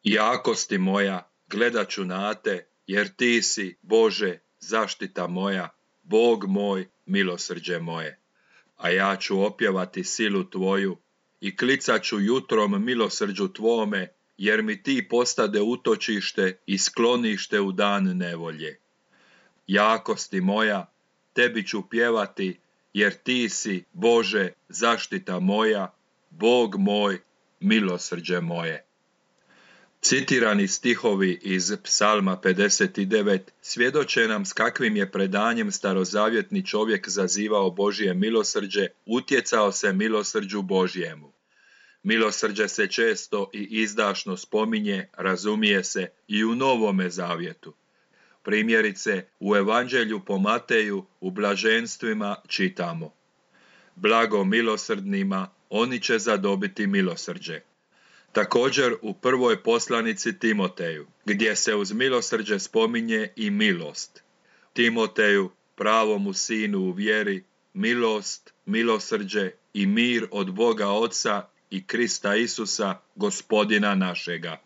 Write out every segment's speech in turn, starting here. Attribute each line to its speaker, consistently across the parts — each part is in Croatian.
Speaker 1: Jakosti moja, gledat ću na te, jer ti si, Bože, zaštita moja, Bog moj, milosrđe moje. A ja ću opjevati silu tvoju i klicat ću jutrom milosrđu tvome, jer mi ti postade utočište i sklonište u dan nevolje. Jakosti moja, tebi ću pjevati, jer ti si, Bože, zaštita moja, Bog moj, milosrđe moje. Citirani stihovi iz Psalma 59 svjedoče nam s kakvim je predanjem starozavjetni čovjek zazivao Božje milosrđe, utjecao se milosrđu Božjemu. Milosrđe se često i izdašno spominje, razumije se, i u Novome zavjetu. Primjerice, u Evanđelju po Mateju u blaženstvima čitamo: Blago milosrdnima, oni će zadobiti milosrđe. Također u prvoj poslanici Timoteju, gdje se uz milosrđe spominje i milost. Timoteju, pravomu sinu u vjeri, milost, milosrđe i mir od Boga Oca i Krista Isusa, Gospodina našega.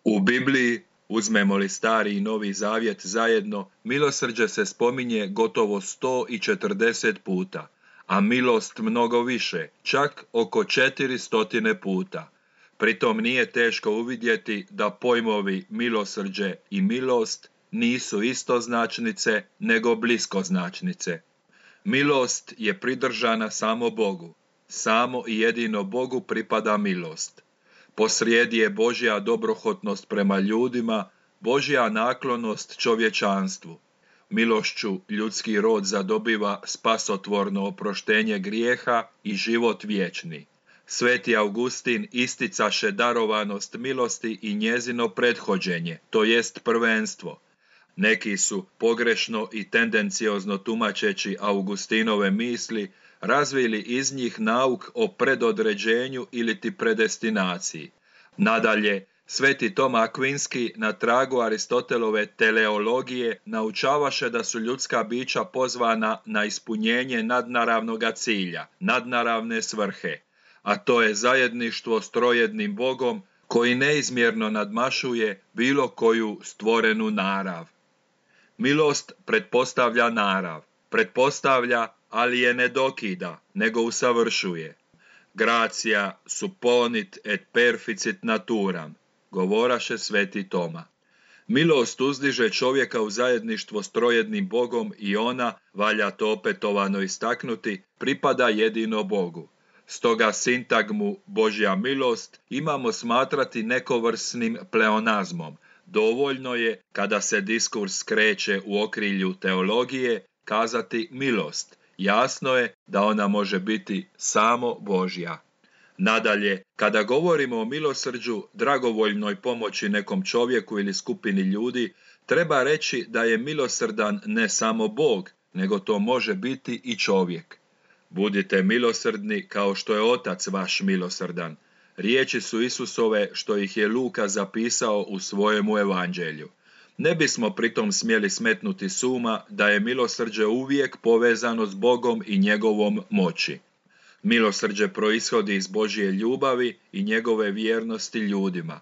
Speaker 1: U Bibliji, uzmemo li Stari i Novi Zavjet zajedno, milosrđe se spominje gotovo 140 puta, a milost mnogo više, čak oko 400 puta. Pritom nije teško uvidjeti da pojmovi milosrđe i milost nisu istoznačnice, nego bliskoznačnice. Milost je pridržana samo Bogu. Samo i jedino Bogu pripada milost. Posrijedi je Božja dobrohotnost prema ljudima, Božja naklonost čovječanstvu. Milošću ljudski rod zadobiva spasotvorno oproštenje grijeha i život vječni. Sveti Augustin isticaše darovanost milosti i njezino prethođenje, to jest prvenstvo. Neki su, pogrešno i tendenciozno tumačeći Augustinove misli, razvili iz njih nauk o predodređenju iliti predestinaciji. Nadalje, Sveti Toma Akvinski na tragu Aristotelove teleologije naučavaše da su ljudska bića pozvana na ispunjenje nadnaravnoga cilja, nadnaravne svrhe, a to je zajedništvo s trojednim Bogom koji neizmjerno nadmašuje bilo koju stvorenu narav. Milost pretpostavlja narav, pretpostavlja, ali je ne dokida, nego usavršuje. Gratia supponit et perficit naturam, govoraše Sveti Toma. Milost uzdiže čovjeka u zajedništvo s trojednim Bogom i ona, valja to opetovano istaknuti, pripada jedino Bogu. Stoga sintagmu Božja milost imamo smatrati nekovrsnim pleonazmom. Dovoljno je, kada se diskurs skreće u okrilju teologije, kazati milost. Jasno je da ona može biti samo Božja. Nadalje, kada govorimo o milosrđu, dragovoljnoj pomoći nekom čovjeku ili skupini ljudi, treba reći da je milosrdan ne samo Bog, nego to može biti i čovjek. Budite milosrdni kao što je Otac vaš milosrdan. Riječi su Isusove što ih je Luka zapisao u svojemu evanđelju. Ne bismo pritom smjeli smetnuti s uma da je milosrđe uvijek povezano s Bogom i njegovom moći. Milosrđe proishodi iz Božje ljubavi i njegove vjernosti ljudima.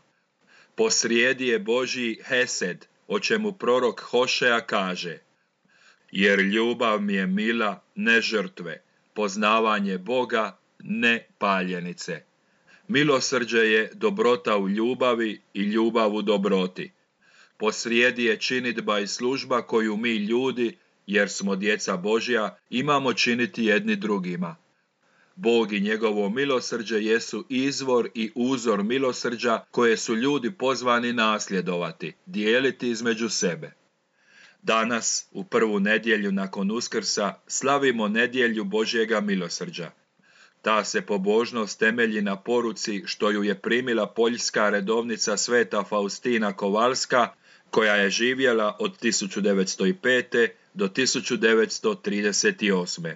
Speaker 1: Posrijedi je Božji hesed, o čemu prorok Hošea kaže: jer ljubav mi je mila, ne žrtve, poznavanje Boga, ne paljenice. Milosrđe je dobrota u ljubavi i ljubav u dobroti. Posrijedi je činidba i služba koju mi ljudi, jer smo djeca Božja, imamo činiti jedni drugima. Bog i njegovo milosrđe jesu izvor i uzor milosrđa koje su ljudi pozvani nasljedovati, dijeliti između sebe. Danas, u prvu nedjelju nakon Uskrsa, slavimo nedjelju Božjega milosrđa. Ta se pobožnost temelji na poruci što ju je primila poljska redovnica sveta Faustina Kowalska, koja je živjela od 1905. do 1938.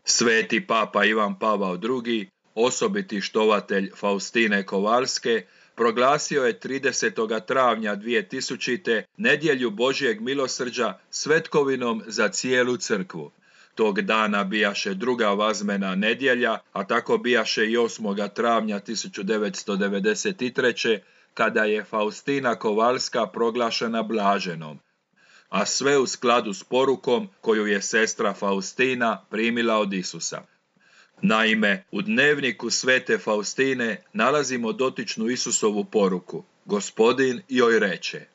Speaker 1: Sveti papa Ivan Pavao II, osobiti štovatelj Faustine Kowalske, proglasio je 30. travnja 2000. nedjelju Božjeg milosrđa svetkovinom za cijelu crkvu. Tog dana bijaše druga vazmena nedjelja, a tako bijaše i 8. travnja 1993. kada je Faustina Kovalska proglašena blaženom, a sve u skladu s porukom koju je sestra Faustina primila od Isusa. Naime, u dnevniku svete Faustine nalazimo dotičnu Isusovu poruku. Gospodin joj reče: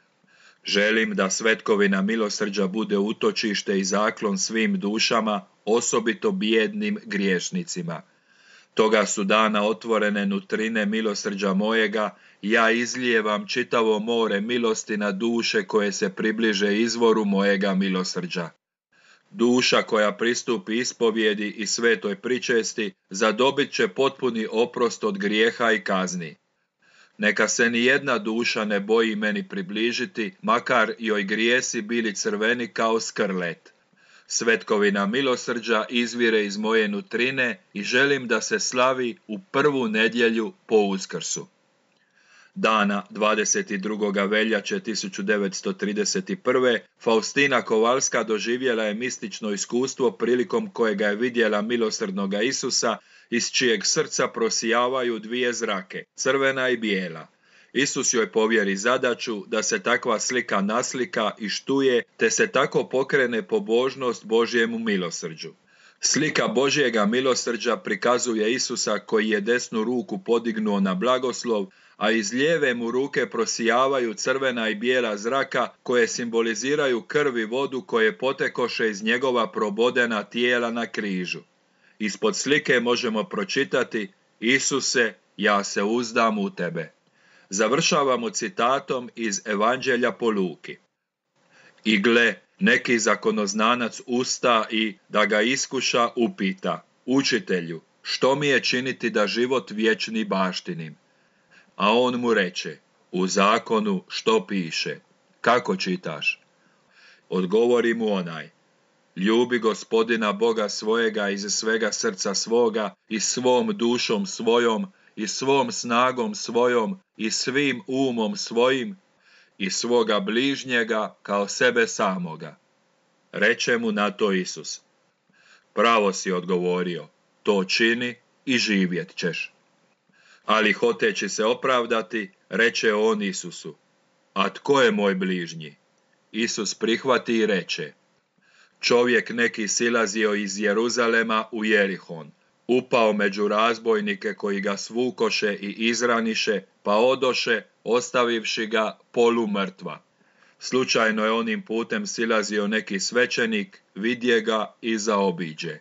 Speaker 1: želim da svetkovina milosrđa bude utočište i zaklon svim dušama, osobito bijednim griješnicima. Toga su dana otvorene nutrine milosrđa mojega, ja izlijevam čitavo more milosti na duše koje se približe izvoru mojega milosrđa. Duša koja pristupi ispovjedi i svetoj pričesti zadobit će potpuni oprost od grijeha i kazni. Neka se ni jedna duša ne boji meni približiti, makar joj grijesi bili crveni kao skrlet. Svetkovina milosrđa izvire iz moje nutrine i želim da se slavi u prvu nedjelju po Uskrsu. Dana 22. veljače 1931. Faustina Kovalska doživjela je mistično iskustvo prilikom kojega je vidjela milosrdnoga Isusa, iz čijeg srca prosijavaju dvije zrake, crvena i bijela. Isus joj povjeri zadaću da se takva slika naslika i štuje, te se tako pokrene pobožnost Božjemu milosrđu. Slika Božjega milosrđa prikazuje Isusa koji je desnu ruku podignuo na blagoslov, a iz lijeve mu ruke prosijavaju crvena i bijela zraka koje simboliziraju krv i vodu koje potekoše iz njegova probodena tijela na križu. Ispod slike možemo pročitati: Isuse, ja se uzdam u tebe. Završavamo citatom iz Evanđelja po Luki. I gle, neki zakonoznanac usta i, da ga iskuša, upita: Učitelju, što mi je činiti da život vječni baštinim? A on mu reče: u zakonu što piše? Kako čitaš? Odgovori mu onaj: ljubi Gospodina Boga svojega iz svega srca svoga i svom dušom svojom i svom snagom svojom i svim umom svojim i svoga bližnjega kao sebe samoga. Reče mu na to Isus: pravo si odgovorio, to čini i živjet ćeš. Ali hoteći se opravdati, reče on Isusu: a tko je moj bližnji? Isus prihvati i reče: čovjek neki silazio iz Jeruzalema u Jerihon, upao među razbojnike koji ga svukoše i izraniše, pa odoše, ostavivši ga polumrtva. Slučajno je onim putem silazio neki svećenik, vidje ga i zaobiđe.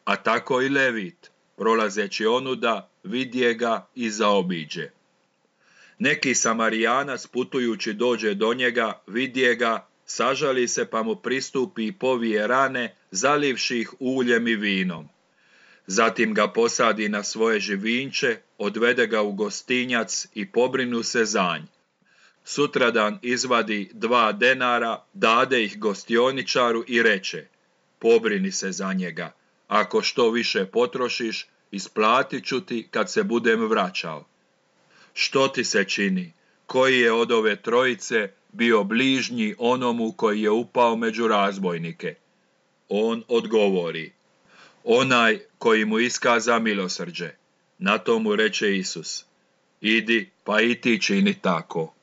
Speaker 1: A tako i Levit, prolazeći onuda, vidje ga i zaobiđe. Neki Samarijanac putujući dođe do njega, vidje ga, sažali se pa mu pristupi i povije rane, zalivši ih uljem i vinom. Zatim ga posadi na svoje živinče, odvede ga u gostinjac i pobrinu se za nj. Sutradan izvadi 2 denara, dade ih gostioničaru i reče: pobrini se za njega, ako što više potrošiš, isplatit ću ti kad se budem vraćao. Što ti se čini? Koji je od ove trojice bio bližnji onomu koji je upao među razbojnike? On odgovori: onaj koji mu iskaza milosrđe. Na to mu reče Isus: idi pa i ti čini tako.